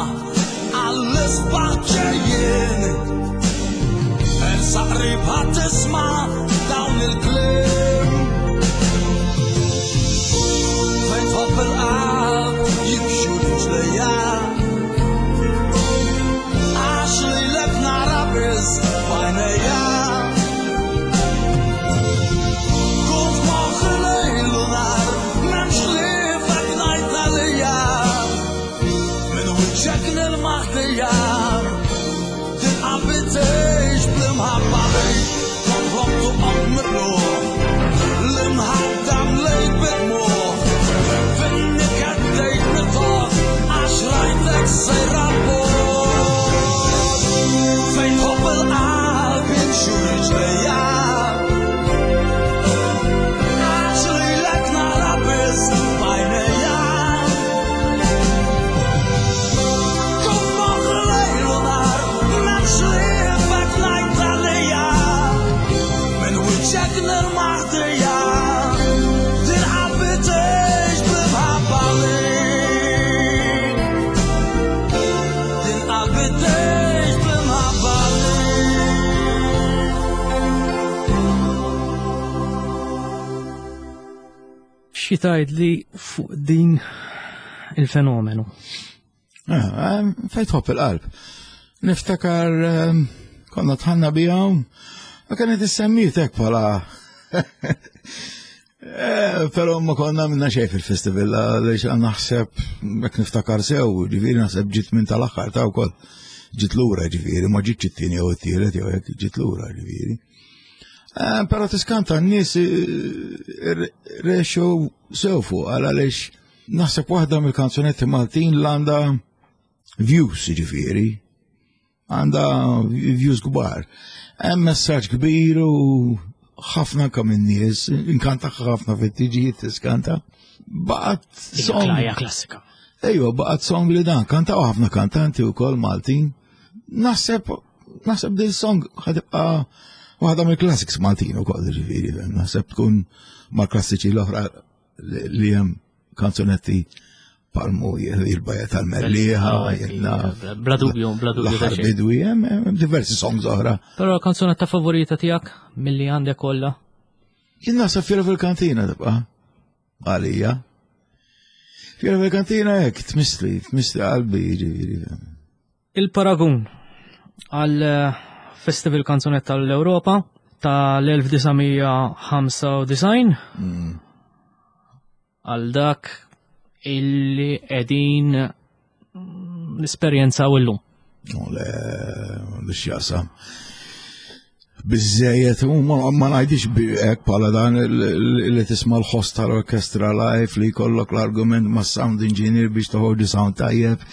għall-isbaħ ġejjin. Ensa qrib ħadd tisma' dawn il-kliem. Fejn tħobb il-qalb jimxu riġlejja, għax lilek nara biss b'għajnejja. Kun f'moħħi lejl u nhar, m'hemmx ħliefek ngħid għalija. Minn wiċċek nilmaħdija, din qalbi tgħix bl-imħabba għalik. Kont ħlomtu qatt mitluq, l-imħadda mlejt bid-dmugħ. Fin-niket bdejt nitogħ, għax rajtek sejra bogħod. Fejn tħobb il-qalb jimxu riġlejja, għax lilek nara biss b'għajnejja. Kun f'moħħi lejl u nhar, m'hemmx ħliefek ngħid għalija. Minn wiċċek nirmaħdija, din qalbi tgħix bl-imħabba għalik. Din qalbi tgħix bl-imħabba għalik. Xi tgħidli fuq din il-fenomenu? Ah, fejn tħobb il-qalb. Niftakar ehm, konna tħanna bijom, ma kienet issemmiet hekk bħala. Eh, Però ma konna minna xejn fil-festival, għaliex naħseb, jekk niftakar sew, ġifieri naħseb ġiet minn tal-aħħar ta' wkoll. Ġiet lura ġifieri, ma ġietx it-tieni jew it-tielet jew hekk, ġiet lura ġifieri. Eh, Però tiskanta n-nies eh, rexu sew fuq, għaliex naħseb waħda mill-kanzunetti Maltin l għandha views ġifieri, għandha views kbar. Hemm messaġġ kbir u ħafna anke min-nies, inkanta ħafna fit-tiġijiet tiskanta. Baqgħet song. Hija klassika. Ejwa, baqgħet song li dan, kantaw ħafna kantanti wkoll Maltin. Naħseb, naħseb din song ħa tibqa' waħda mill-classics Maltin ukoll ġifieri, naħseb tkun mal-klassiċi l-oħra li li hemm kanzunetti palmu il-bajja tal-Mellieħa, jenna. Bla dubju, bla dubju ta' L-aħħar xejn. bidwi, hemm hemm diversi songs oħra. Però l-kanzunetta favorita tiegħek milli għandek kollha? Jien naħseb Fiera fil-kantina tibqa' għalija. Fiera fil-kantina hekk tmissli, tmissli qalbi ġifieri. Il-paragun għal eh, Festival Kanzunetta tal-Europa tal-elf disa' mija ħamsa u disgħin għal dak illi qegħdin nesperjenzaw illum. U le, li x'jaqsam. Biżżejjed, u ma ma ngħidix hekk bħala dan li tisma' l-ħoss tal-orkestra live, li jkollok l-argument ma' sound engineer biex toħorġu sound tajjeb,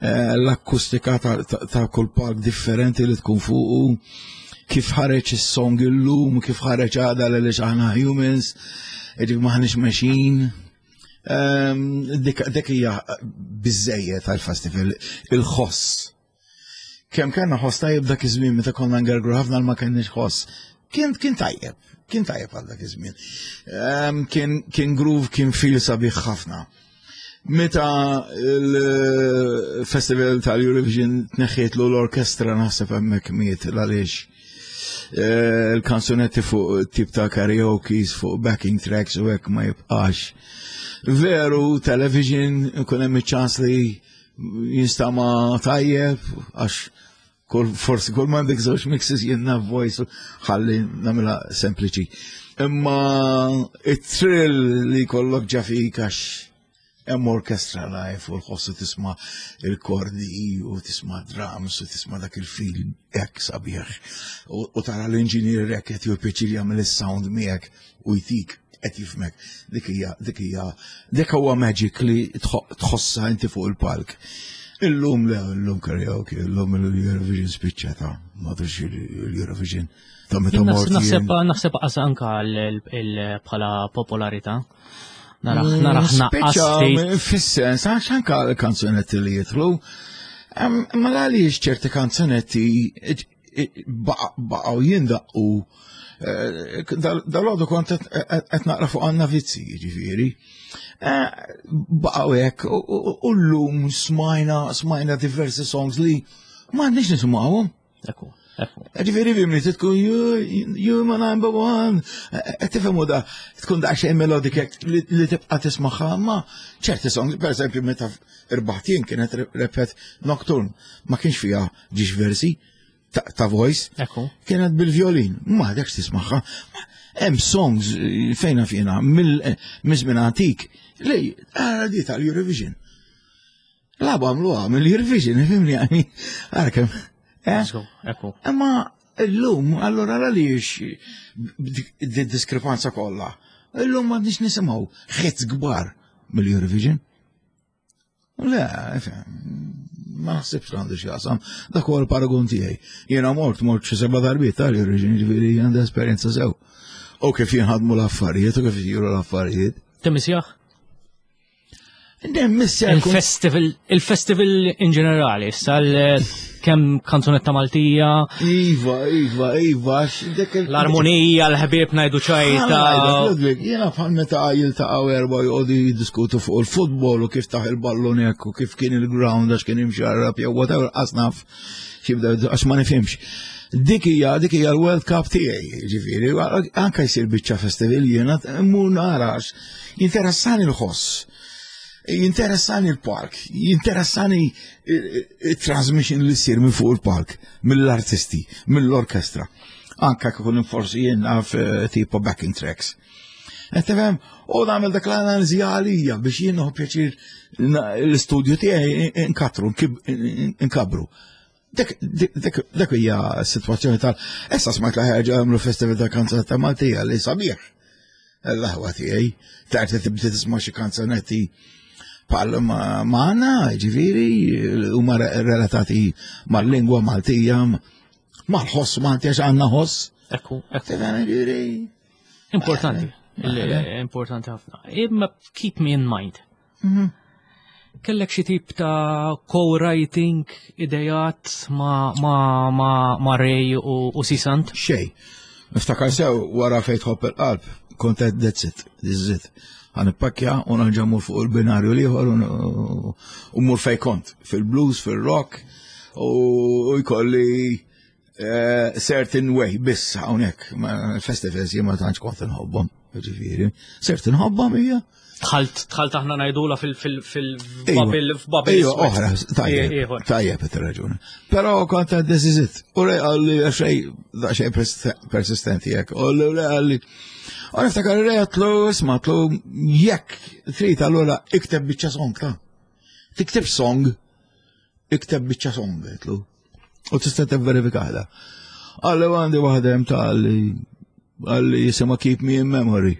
eh, l-akustika ta' kull palk differenti li tkun fuqu, kif ħareġ is-song illum, kif ħareġ għada, li aħna humans, ġifieri m'aħniex machine. Ehm, dik hija biżejjed tal-festival, il-ħoss. Kemm kellna ħoss tajjeb dak iż-żmien meta konna ngergru ħafna, ma kenniex ħoss. Kien kien tajjeb, kien tajjeb għal dak iż-żmien. Ehm, kien kien groove, kien feel sabiħ ħafna. Meta il-festival tal-Eurovision tneħħietlu l-orkestra, naħseb hemmhekk miet, għaliex eh, il-kanzunetti fuq tip ta' karaoke, fuq backing tracks u hekk ma jibqax. Veru, television ikun hemm iċ-ċans li jinstama tajjeb, għax kull forsi kull m'għandek żewġ mixes jenna voice, ħalli nagħmilha sempliċi. Imma it-thrill li kollok ġa fik għax hemm orkestra live u l-ħossu, tisma' il-kordi u tisma' drums u tisma' dak il-feel hekk sabiħ u tara l-engineer hekk qed jieħu pjaċir jagħmel is-sound miegħek u jtik qed jifhmek. Dik hija dik hija dik huwa magic li tħossa inti fuq il-palk. Illum le, illum karaoke, illum l-Eurovision spiċċata, ma l-Eurovision ta' meta mort. Naħseb naħseb qas anka bħala popolarità. Naraħ mm, naraħ naqqas. Fis-sens, għax anka l-kanzunetti li jidħlu, ma għaliex ċerti kanzunetti baqgħu jindaqqu? eh, Dal-għodu kont qed naqra fuq Anna Vizzi, ġifieri. Eh, baqgħu hekk u llum smajna smajna diversi songs li m'għandniex nisimgħuhom. Ekku. Ġifieri fhimni, tkun you, you my number one. Tifhmu da, tkun da xejn melodik li tibqa' tismaħħa, ma ċerti songs, per esempio, meta irbaħt jien kienet rebħet Nocturne, ma kienx fiha ġiex versi ta' voice. Kienet bil-violin, ma għadekx tismaħħa. Hemm songs fejna fjena mill-żmien antik li għara di tal-Eurovision. Labu għamluha mill-Eurovision, fhimni, għani, għara kemm. Ekku. Imma illum, allora għaliex di diskrepanza kollha? Illum ma nix nisimgħu hits kbar mill-Eurovision. Le, ma naħsibx li għandu x'jaqsam. Dak huwa l-paragun tiegħi. Jiena mort mort xi seba' darbiet tal-Eurovision, ġifieri għandi esperjenza sew. U kif jinħadmu l-affarijiet u kif isiru l-affarijiet. Timmissjah? Il-festival, il-festival in ġenerali, sal kemm kanzunetta Maltija. Iva, iva, iva. L-armonija, l-ħbieb ngħidu ċajta. Ludwig, jiena bħal meta jiltaqgħu erba' joqogħdu jiddiskutu fuq il-futbol u kif taħ il-ballun hekk u kif kien il-ground għax kien imxarrab jew whatever, qasnaf xibda għax ma nifhimx. Dik hija dik hija l-World Cup tiegħi, ġifieri, anke jsir biċċa festival jiena mmur narax. Jinteressani l-ħoss, jinteressani l-park, jinteressani il-transmission li ssir minn fuq il-park, mill-artisti, mill-orkestra. Anka kikun forsi jien naf eh, tipo backing tracks. Tifhem, u nagħmel dak l-analiżi għalija biex jien nieħu pjaċir l-istudju tiegħi nkatru, nkabru. Dak hija s-sitwazzjoni tal. Issa smajt la ħerġa għamlu festival ta' kanzunetta Maltija li sabiħ. L-aħwa tiegħi, tarti tibda tisma' xi kanzunetti bħal maħna, ġifieri, huma relatati mal-lingwa Maltija, mal-ħoss Malti, għax għandna ħoss. Ekku, ekku. Ġifieri. Importanti, importanti ħafna. Imma keep me in mind. Mhm. Kellek xi tip ta' co-writing, idejat ma' ma' ma' ma' Ray u, u Sisant? Xej. Niftakar sew wara Fejn Tħobb il-Qalb, kont qed that's it, this is it. Ħa nippakkja u nerġa' mmur fuq il-binarju l-ieħor u mmur fej kont, fil-blues, fil-rock, u jkolli eh, certain way biss hawnhekk. Festivals jien ma tantx kont inħobbhom, ġifieri. Sirt inħobbhom hija. Tħalt, tħalt aħna ngħidula fil-bubble, f'bubble. Ejwa, oħra, tajjeb, tajjeb raġuni. Però kont għad this is it. U Ray qalli xej, da xej persistenti jek. U Ray qalli, u niftakar Ray għedtlu, isma', għedtlu, jekk trid allura ikteb biċċa song ta' tikteb song, ikteb biċċa song, għedtlu. U tista' tivverifikaha. Qalli għandi waħda hemm ta' qalli qalli jisimha Keep Me in Memory.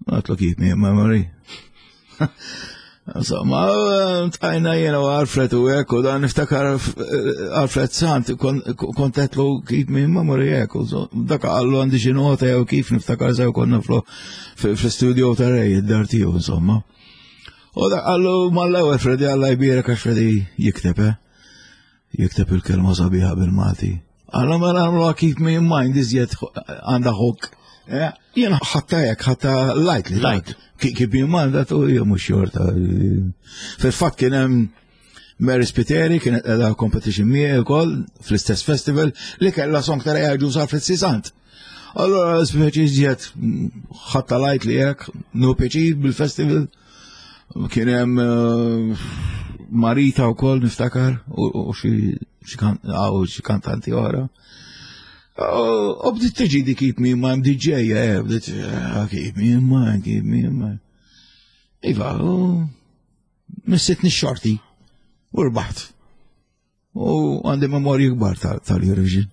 Għedtlu Keep Me in Memory. Insomma, tajna jena u Alfred u hekk, u dan niftakar Alfred Sant, kont għedtlu Keep Me in Memory hekk, u dak qallu għandi xi nota jew kif niftakar sew konna fl-studio ta' Ray, id-dar tiegħu, insomma. U dak qallu mal-ewwel Freddy Alla jbierek għax Freddy jikteb, eh? Jikteb il-kelma sabiħa bil-Malti. Alla mela għamlu Keep Me in Mind iżjed għandha hook. Jena ħatta hekk, ħatta lightly. Light. Keep Me in Mind, għatu hija mhux xorta. Fil-fatt kien hemm Mary Spiteri, kienet qiegħda competition miegħi wkoll fl-istess festival li kellha song ta' Ray Agius Alfred Sant. Allora speċi iżjed ħatta lightly hekk, nu pjaċir bil-festival. Kien hemm Marita wkoll niftakar u xi kantanti oħra. U bdiet tiġi di Keep Me in Mind, D J, eh, bdiet Keep Me in Mind, Keep Me in Mind. Iva, u missitni xorti u rbaħt. U għandi memorji kbar tal-Eurovision.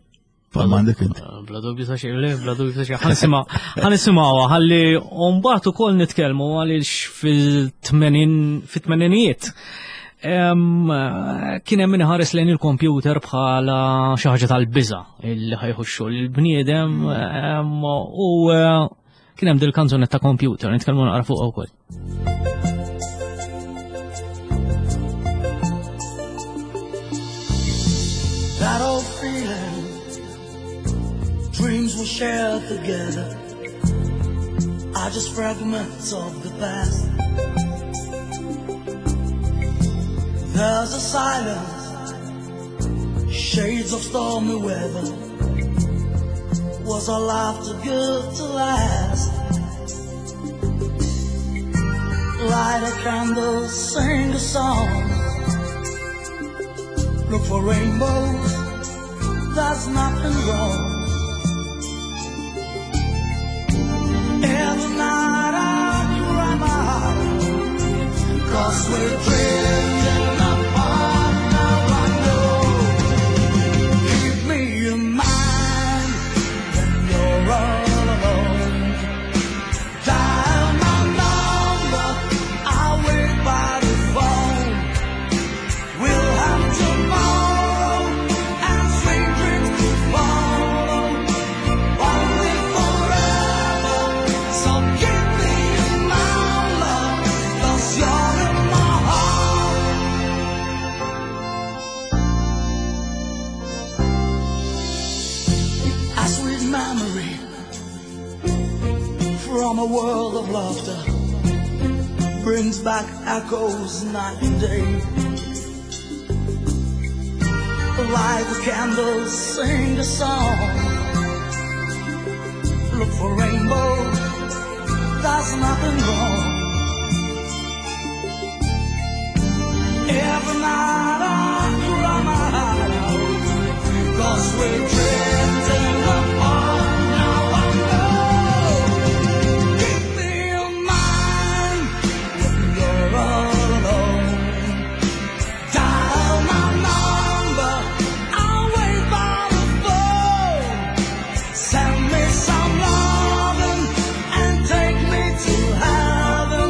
Palma għandek int. Bla dubju ta' xejn, le, bla dubju ta' xejn. Ħa nisimgħuha, ħalli mbagħad ukoll nitkellmu għaliex fil-tmenin, fit-tmeninijiet. Kien hemm min iħares lejn il-kompjuter bħala xi ħaġa tal-biża' illi ħajħu x-xogħol il-bniedem, u kien hemm dil-kanzunetta Computer, nitkellmu naqra fuqha wkoll. That old feeling, dreams we shared together, are just fragments of the past. There's a silence, shades of stormy weather. Was our life too good to last? Light a candle, sing a song. Look for rainbows, there's nothing wrong. Every night I cry my heart, 'cause we're drifting apart. Now I know. Keep me in mind when you're all alone. Dial my number, I'll wait by the phone. We'll have tomorrow and sweet dreams to follow. Only forever. So keep me in mind, love, 'cause you're in my heart. A sweet memory from a world of laughter brings back echoes night and day. Light the candles, sing a song. Look for rainbows, there's nothing wrong. Every night I cry my heart out, 'cause we're drifting apart. Now I know. Keep me in mind when you're all alone. Dial my number, I'll wait by the phone. Send me some loving and take me to heaven.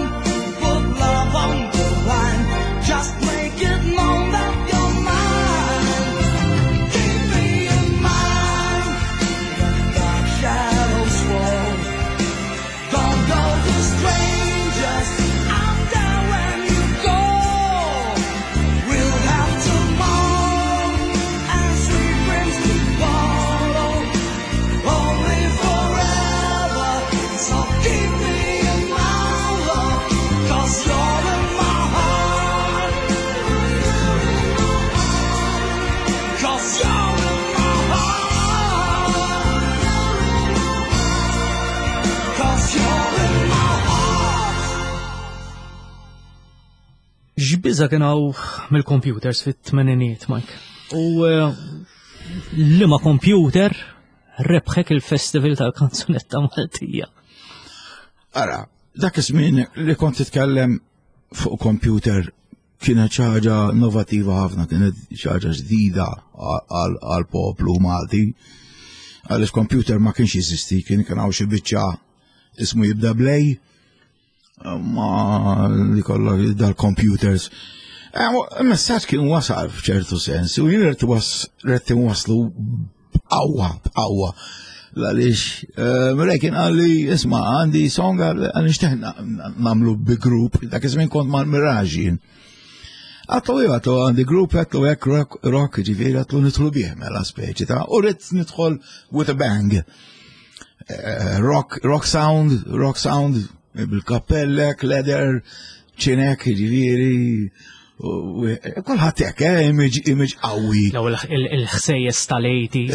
Put love on the line, just make it known that you're mine. Keep me in mind when dark shadows fall. Don't go to strangers, I'm there when you go. We'll have tomorrow and sweet dreams to follow. Only forever. So keep me in my love, 'cause you're in my heart. 'Cause you're in my heart. 'Cause you're in my heart. X'biża' kien hawn mill-computers fit-tmeninijiet, Mike? U, eh, liema computer rebħek il-festival tal-kanzunetta Maltija? Ara, dak iż-żmien li kont titkellem fuq computer Kienet xi ħaġa innovativa ħafna, kienet xi ħaġa ġdida għal poplu Malti. Għaliex computer ma kienx jeżisti, kien kien hawn xi biċċa ismu jibda blej, ma li kollha dal-computers. Il-messaġġ kien wasal f'ċertu sens, u jien rrid waslu b'qawwa, b'qawwa. Għaliex, Mrej kien qalli, isma', għandi song għal nixtieq nagħmlu bi group, dak iż-żmien kont mal-Mirage jien. Għedtlu iva, għedtlu għandi group, għedtlu hekk rock, rock, ġifieri, għedtlu nidħlu bih mela speċi ta' u rrid nidħol with a bang. Rock, rock sound, rock sound, bil-kappellek, leather, ċinek, ġifieri, kulħadd hekk, eh, image, image qawwi. L-ewwel il-ħsejjes tal-eighties.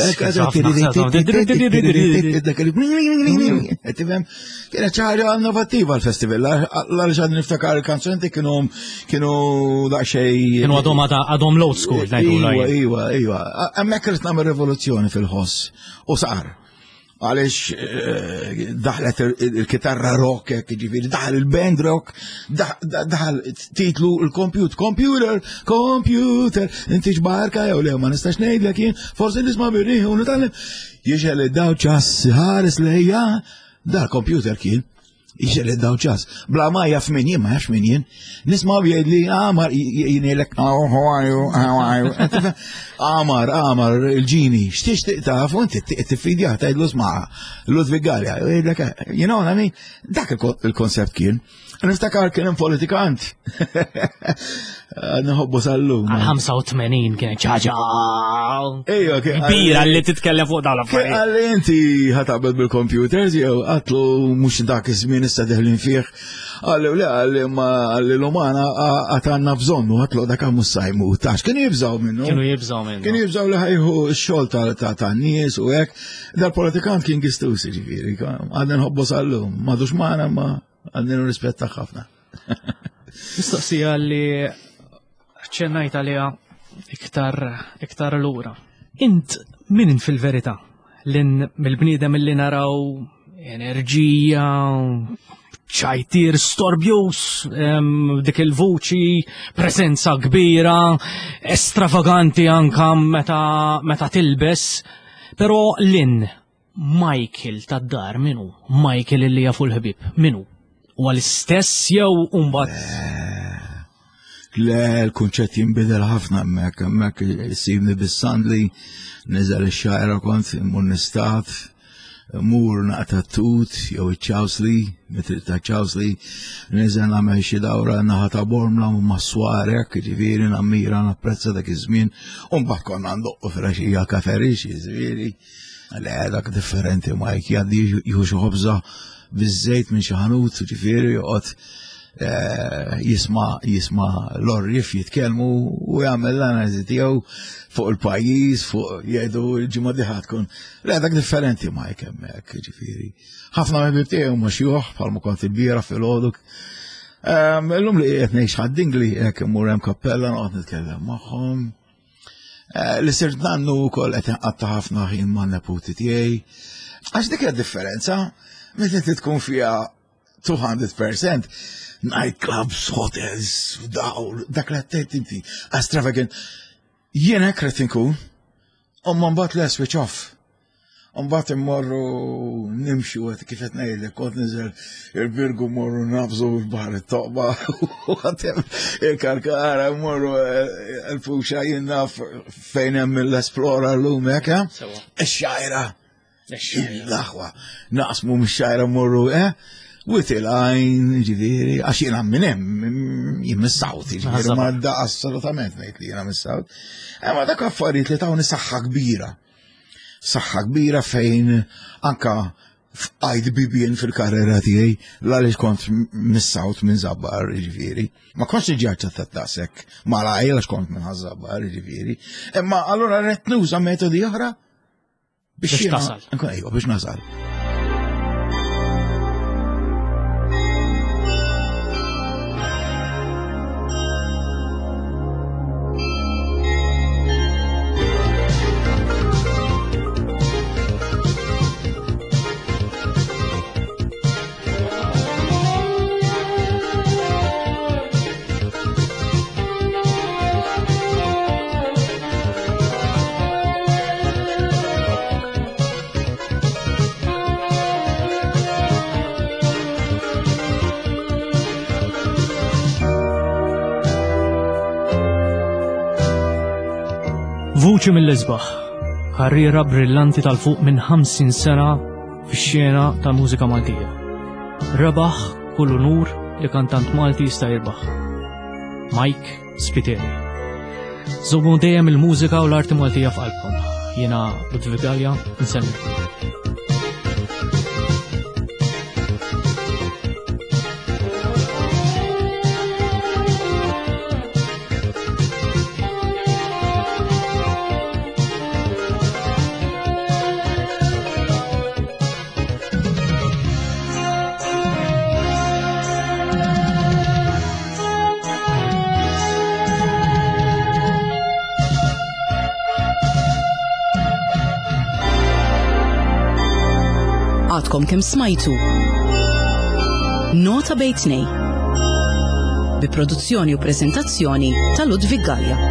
Tifhem, kienet xi ħaġa innovattiva l-festival, għaliex għadni niftakar il-kanzunti kienu kienu daqsxejn. Kienu għadhom għadhom l-old school, ngħidu. Iva, iva, iva. Hemmhekk irid nagħmel rivoluzzjoni fil-ħoss u sar. Għaliex daħlet il-kitarra rock, ġifieri, daħal il-band rock, daħal titlu il-compute, computer, computer, inti xbarka jew le, ma nistax ngħidlek jien, forsi nisma' birriħ u nitgħallem. Jixgħel id-dawl ċass ħares lejja, dal-computer kien. Jixgħel id-dawl ċass. Bla ma jaf min jien, ma jafx min jien. Nisma' jgħidli, Amar, jgħidlek, oh, how are you, how are you. Amar, Amar, il-ġini, x'tixtieq taf, u inti tiffidjah tgħidlu sma' Ludwig Galea, jgħidlek, you know what I mean? Dak il-konsept kien. Niftakar kien hemm politikant. Nħobbu sal-lum. Għal ħamsa u tmenin kienet ċaġa. Ejja, kbira li titkellem fuq dawn l-affarijiet. Għalli inti ħataqbel bil-computers jew għatlu mhux dak iż-żmien issa deħlin fih. Għalli le, għalli ma għalli l-umana għatanna bżonnu, għatlu dak mhux sajmu. Tax kienu jibżgħu minnu. Kienu jibżgħu minnu. Kienu jibżgħu li ħajħu x-xogħol ta' nies u hekk. Dal-politikant kien gistus ġifieri, għadna nħobbu sal-lum, m'għadux magħna ma għandna rispetta ħafna. Mistoqsija li ċennajt għaliha iktar iktar lura. Int min fil-verità? Lin mill-bniedem li naraw enerġija, ċajtir storbjus, dik il-vuċi, prezenza kbira, estravaganti anka meta, meta tilbes, pero lin Michael tad-dar minu? Michael illi jafu l-ħbib, minu? U għal-istess jew umbat? Le, l-kunċett jinbidel ħafna hemmhekk, hemmhekk issibni bis-sandli, niżel ix-Xgħajra kont immur nistad, mur naqta' tut jew iċ-ċawsli, mitri ta' ċawsli, niżel nagħmel xi dawra naħa ta' Bormla u mas-swarek, ġifieri nammira napprezza dak iż-żmien, u mbagħad konna ndoqqu filgħaxija kaferix, ġifieri. Le, dak differenti Mike, jgħaddi jieħu xi ħobża biż-żejt minn xi ħanut, ġifieri joqgħod jisma' jisma' l-orrif jitkellmu u jagħmel l-analiżi tiegħu fuq il-pajjiż, fuq jgħidu l-ġimgħa diħa tkun. Le, dak differenti Mike hemmhekk, ġifieri. Ħafna mill-ħbieb tiegħi huma xjuħ bħalma kont il-bieraħ filgħodu. Illum li qed ngħix Ħad-Dingli hekk immur hemm kappella noqgħod nitkellem magħhom. Li sirt nannu wkoll qed inqatta' ħafna ħin man-neputi tiegħi. Għax dik hija differenza, meta inti tkun fiha two hundred percent nightclubs, hotels, dawl, dak li għedt inti, extravagant. Jien hekk rrid inkun, u mbagħad le switch off. Mbagħad immorru nimxu għet kif qed ngħidlek, kont niżel il-Birgu mmorru naqbżu l-baħar it-Toqba, u għatem il-Karkara mmorru l-Fuxa jien naf fejn hemm l-Esplora l-lum hekk, eh? Ix-Xgħajra. L-aħwa, naqsmu mix-Xgħajra mmorru, eh? Wied il-Għajn, ġifieri, għax jiena minn hemm, jien mis-South, ġifieri, ma da assolutament ngħid li jiena mis-South. Ma dak affarijiet li tawni saħħa kbira. Saħħa kbira fejn anka fqajt bibien fil-karriera tiegħi għaliex kont mis-South minn Żabbar, ġifieri. Ma kontx niġi aċċettat daqshekk malajr għax kont minn Żabbar, ġifieri. Imma allura rrid nuża metodi oħra biex tasal. Ejwa, biex nasal. Vuċi mill-isbaħ, karriera brillanti tal-fuq minn ħamsin sena fix-xena tal-mużika Maltija. Rebaħ kull unur li kantant Malti jista' jirbaħ. Mike Spiteri. Żommu dejjem il-mużika u l-arti Maltija f'qalbkom. Jiena Ludwig Galea, nsellmilkom. Għadkom kemm smajtu Nota bejn tnejn bi produzzjoni u prezentazzjoni ta' Ludwig Galea.